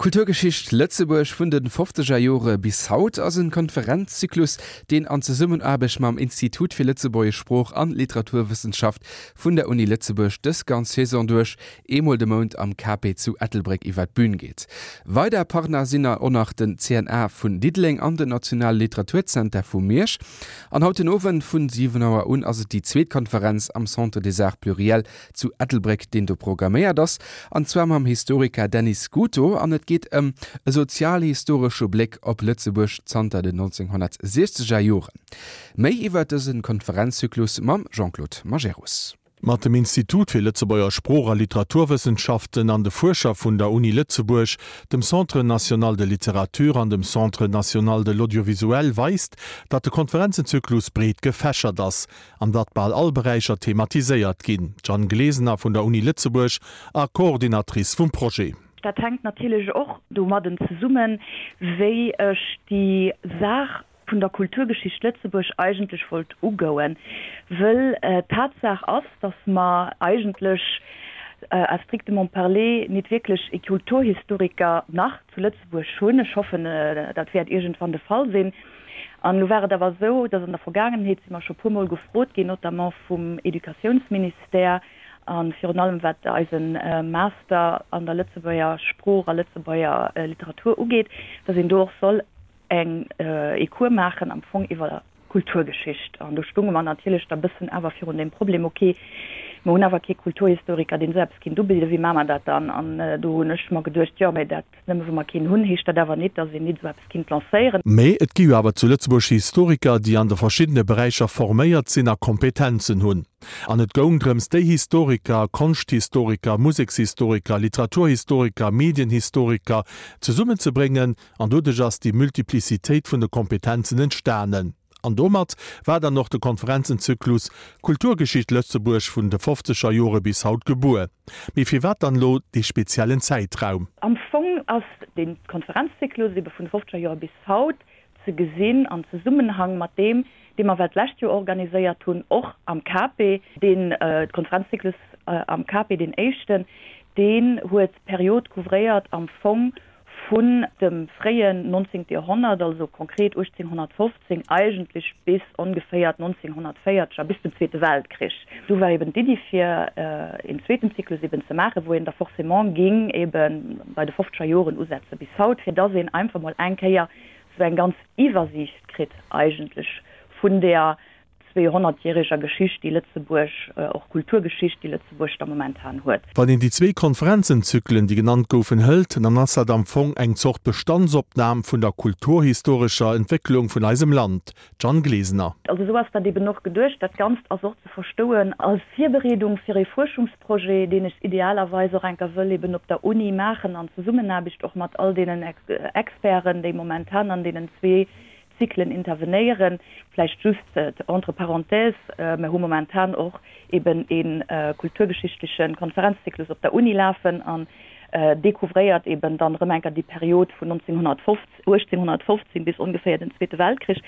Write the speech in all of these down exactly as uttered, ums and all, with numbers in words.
Kulturgeschicht Lëtzebuerg vun den fofzeger Jore bis haut ass en Konferenzzyklus, deen an Zesummenaarbecht mam Institut fir Lëtzebuergesch Sprooch an Literaturwëssenschaft vun der Uni Lëtzebuerg dës ganz Saison duerch eemol de Mount am Cape zu Ettelbréck iwwer d'Bün geet. Weider Partner sinn och nach den C N A vun Diddeleng an den Nationale Literaturzenter vu Miersch. An haut den Owend vun siwen Auer un ass et déi zweet Konferenz am Centre des Arts Pluriels zu Ettelbréck, deen do programméiert ass, an zwar mam Historiker Denis Scuto, an et geet ëm e sozialhistoresche Bléck op Lëtzebuerg zanter den nonzénghonnertsiechzeger Joren. Méi iwwer dëse Konferenzzyklus mam Jean-Claude Majerus. Mat dem Institut fir Lëtzebuerger Sprooch a Literaturwëssenschaften an de Fuerscher vun der Uni Lëtzebuerg, dem Centre national de littérature an dem Centre national de l'audiovisuel weist, datt de Konferenzenzyklus breet gefächert ass an datt bal all Beräicher thematiséiert ginn. D'Jeanne Glesener vun der Uni Lëtzebuerg a Coordinatrice vum Projet. Dat hänkt natierlech och domadden zesummen, wéi ech déi Saach vun der Kulturgeschicht Lëtzebuerg eigentlech wollt ugoen, wëll Tatsaach ass, dass mer eigentlech à strictement parler nit wierklech e Kulturhistoriker nach zu Lëtzebuerg hunn. Ech hoffen, dat wäert iergendwann de Fall sinn. An elo war et awer esou, dass an der Vergaangenheet si mer scho puermol gefrot ginn, notamment vum Educatiounsministère a virun allem wat eise Master an der Lëtzebuerger Sprooch a Lëtzebuerger Literatur ugeet, dass een do och soll eng ee Cours maachen am Fong iwwer Kulturgeschicht. An do stunge mer natierlech da bëssen awer virun deem Problem, okay, mer hunn awer kee Kulturhistoriker, deen esou eppes kinnt ubidden, wéi maache mer dat dann? An do hunn ech mer geduecht, jo, mä dat, nëmme wou mer keen hunn, heescht dat awer nit, datt een nit esou eppes kinnt lancéieren. Mee et gi jo awer zu Lëtzebuerg Historiker, déi an de verschiddene Beräicher forméiert sinn a Kompetenzen hunn. An et goung drëms, déi Historiker, Konschthistoriker, Musekshistoriker, Literaturhistoriker, Medienhistoriker, zesummenzebréngen, an doduerch ass déi Multiplicitéit vun de Kompetenzen entstanen. An domat war dann och de Konferenzenzyklus Kulturgeschicht Lëtzebuerg vun de fofzeger Jore bis haut gebuer. Mee firwat dann elo dee speziellen Zäitraum? Am Fong ass dee Konferenzzyklus ebe vun de fofzeger Jore bis haut ze gesinn an Zesummenhang mat deem, dee mer well d'lescht Joer organiséiert hunn, och am Cape. Dee Konferenzzyklus am Cape, deen éischten, deen huet d'Period couvréiert am Fong vun dem fréien nonzéngte Joerhonnert, also konkret uechtzénghonnertfofzéng eigentlech bis ongeféiert nonzénghonnertvéierzeg a bis zum Zweete Weltkrich. Du war eben d'Iddi fir een zweeten Zyklus eben ze maachen, wou een da forcément ging ebe bei de fofzeger Joren usetze bis haut, fir dass een einfach mol eng Kéier sou eng ganz Iwwersiicht kritt eigentlech vun där zweehonnertjäreger Geschicht, déi Lëtzebuerg, och Kulturgeschicht, déi Lëtzebuerg da momentan huet. Wann een déi zwee Konferenzenzyklen, déi genannt goufen, hëlt, dann ass dat am Fong eng Zort Bestandsopnam vun der kulturhistorescher Entwécklung vun eisem Land. Jeanne Glesener. Also esou ass dat eben och geduecht. Dat Ganzt ass och ze verstouen als Virbereedung fir ee Fuerschungsprojet, deen ech idealerweis och enker wëll eben op der Uni maachen, an Zesummenaarbecht och mat all deenen Experten, déi momentan an deenen zwee Zyklen intervenéieren. Vläicht just entre parenthèses, mer hu momentan och eben ee kulturgeschichtleche Konferenzzyklus op der Uni lafen an dee couvréiert eben dann erëm enker déi Period vun uechtzénghonnertfofzéng bis ongeféier den Zweete Weltkrich.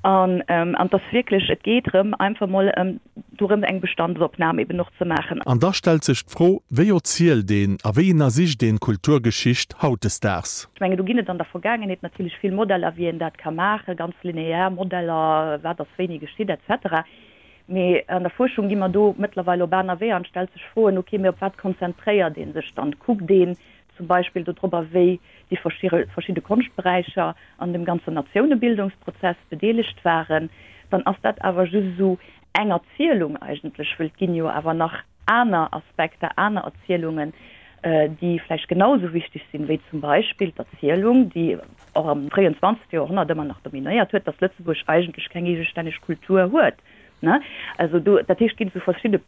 An et ass wierklech, et geet erëm einfach mol ëm dorëm eng Bestandsopnam eben och ze maachen. An da stellt sech d'Fro, Wéi erzielt een a wéi ënnersicht een d'Kulturgeschicht hautdesdaags? Ech mengen, do ginn et an der Vergaangenheet natierlech vill Modeller, wéi een dat ka maachen, ganz linear Modeller, wat ass wéini geschitt et cetera. Mee an der Fuerschung gi mer do mëttlerweil op aner Weeër an et stellt sech Froen, ok, mee op wat konzentréiert ee sech dann? Kuckt een zum Beispill dodrobber, wéi déi verschidde Konschtberäicher an dem ganzen Natiounebildungsprozess bedeelegt waren, dann ass dat awer just esou eng Erzielung eigentlech, wëll et ginn jo awer nach aner Aspekter, aner Erzielungen, déi vläicht genau esou wichteg sinn, wéi zum Beispill d'Erzielung, déi och am fréien zwanzegste Joerhonnert ëmmer nach dominéiert huet, dass Lëtzebuerg eigentlech keng eegestänneg Kultur huet. Also do, dat heescht, et ginn esou verschidde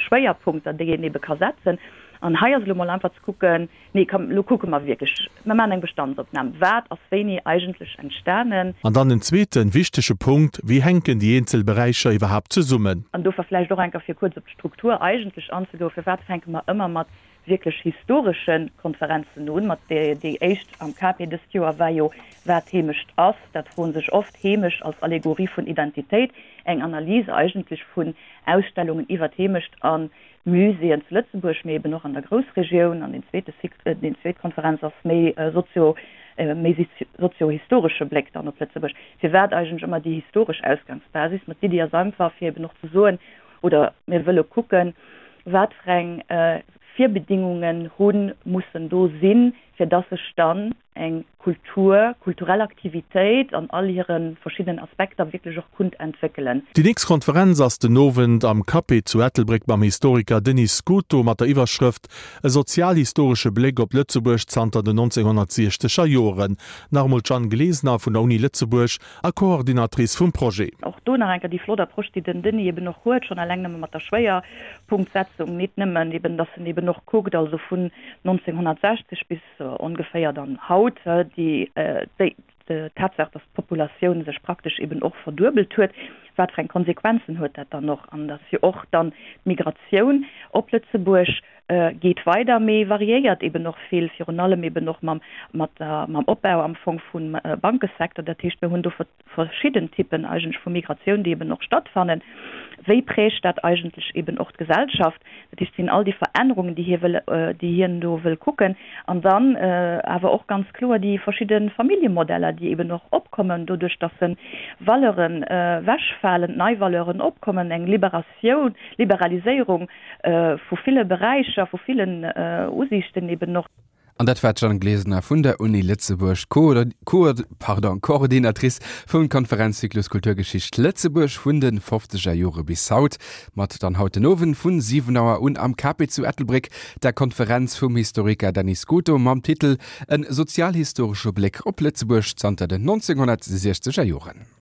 Schwéierpunkter, déi een ebe ka setzen. An hei ass elo mol einfach ze kucken, nee komm, elo kucke mer wierklech, mer maachen eng Bestandsopnam, wat ass wéini eigentlech entstanen. An dann en zweeten wichtege Punkt, Wéi hänken déi eenzel Beräicher iwwerhaapt zesummen? An dofir vläicht och eng Kéier, fir kuerz op d'Struktur eigentlech anzegoen, Firwat fänke mer ëmmer mat wierklech historesche Konferenzen un, mat déi déi éischt am K P dëst Joer war jo Wat Heemecht ass. Dat froen sech oft, Heemecht als Allegorie vun Identitéit, eng Analys eigentlech vun Ausstellungen iwwer d'Heemecht a Muséeën zu Lëtzebuerg, mee eben och an der Groussregioun. An deen zweete Cycle, déi zweet Konferenz ass méi sozio, méi sozio-historesche Bléck dann op Lëtzebuerg. Firwat eigentlech ëmmer déi historesch Ausgangsbasis? Ma d'Iddi ass einfach, fir eben och ze soen, oder mir wëlle kucken, wat fir eng Virbedingungen hu mussen do sinn, fir dass sech dann eng Kultur, kulturell Aktivitéit an all hire verschiddenen Aspekter wierklech och kunnt entwéckelen. Déi nächst Konferenz ass den Owend am Cape zu Ettelbréck mam Historiker Denis Scuto mat der Iwwerschrëft E sozialhistoresche Bléck op Lëtzebuerg zanter den nonzénghonnertsiechzeger Joren. Nach emol d'Jeanne Glesener vun der Uni Lëtzebuerg a Coordinatrice vum Projet. Och do nach eng Kéier déi flott Approche, déi den Denis eben och huet, schonn eleng nëmme mat der Schwéierpunktsetzung, nit nëmmen eben, dass en eben och kuckt, also vun nonzénghonnertsechzeg bis ongeféier dann haut, déi déi Tatsaach, dass d'Populatioun sech praktesch eben och verduebelt huet, wat fir eng Konsequenzen huet dat dann och, an dass jo och dann d'Migratioun op Lëtzebuerg geet weider, mee variéiert eben och vill, virun allem eben och mam mat der mam Opbau am Fong vum Bankesecteur. Dat heescht, mir hunn do verschidden Typen eigentlech vu Migratioun, déi eben och stattfannen. Wéi prägt dat eigentlech eben och d'Gesellschaft? Dat heescht, et sinn all déi Verännerungen, déi hie wëll, déi hien do wëll kucken. An dann awer och ganz kloer déi verschidde Familljemodeller, déi eben och opkommen, doduerch datt se Valeuren ewechfalen, nei Valeuren opkommen, eng Liberatioun, Liberaliséierung vu ville Beräicher, vu villen Usiichten eben och. An dat war d'Jeanne Glesener vun der Uni Lëtzebuerg, Coordinatrice vum Konferenzzyklus Kulturgeschicht Lëtzebuerg vun de fofzeger Jore bis haut. Mat dann haut den Owend vun siwen Auer un am Cape zu Ettelbréck der Konferenz vum Historiker Denis Scuto mam Titel En sozialhistoresche Bléck op Lëtzebuerg zanter den nonzénghonnertsiechzeger Joren.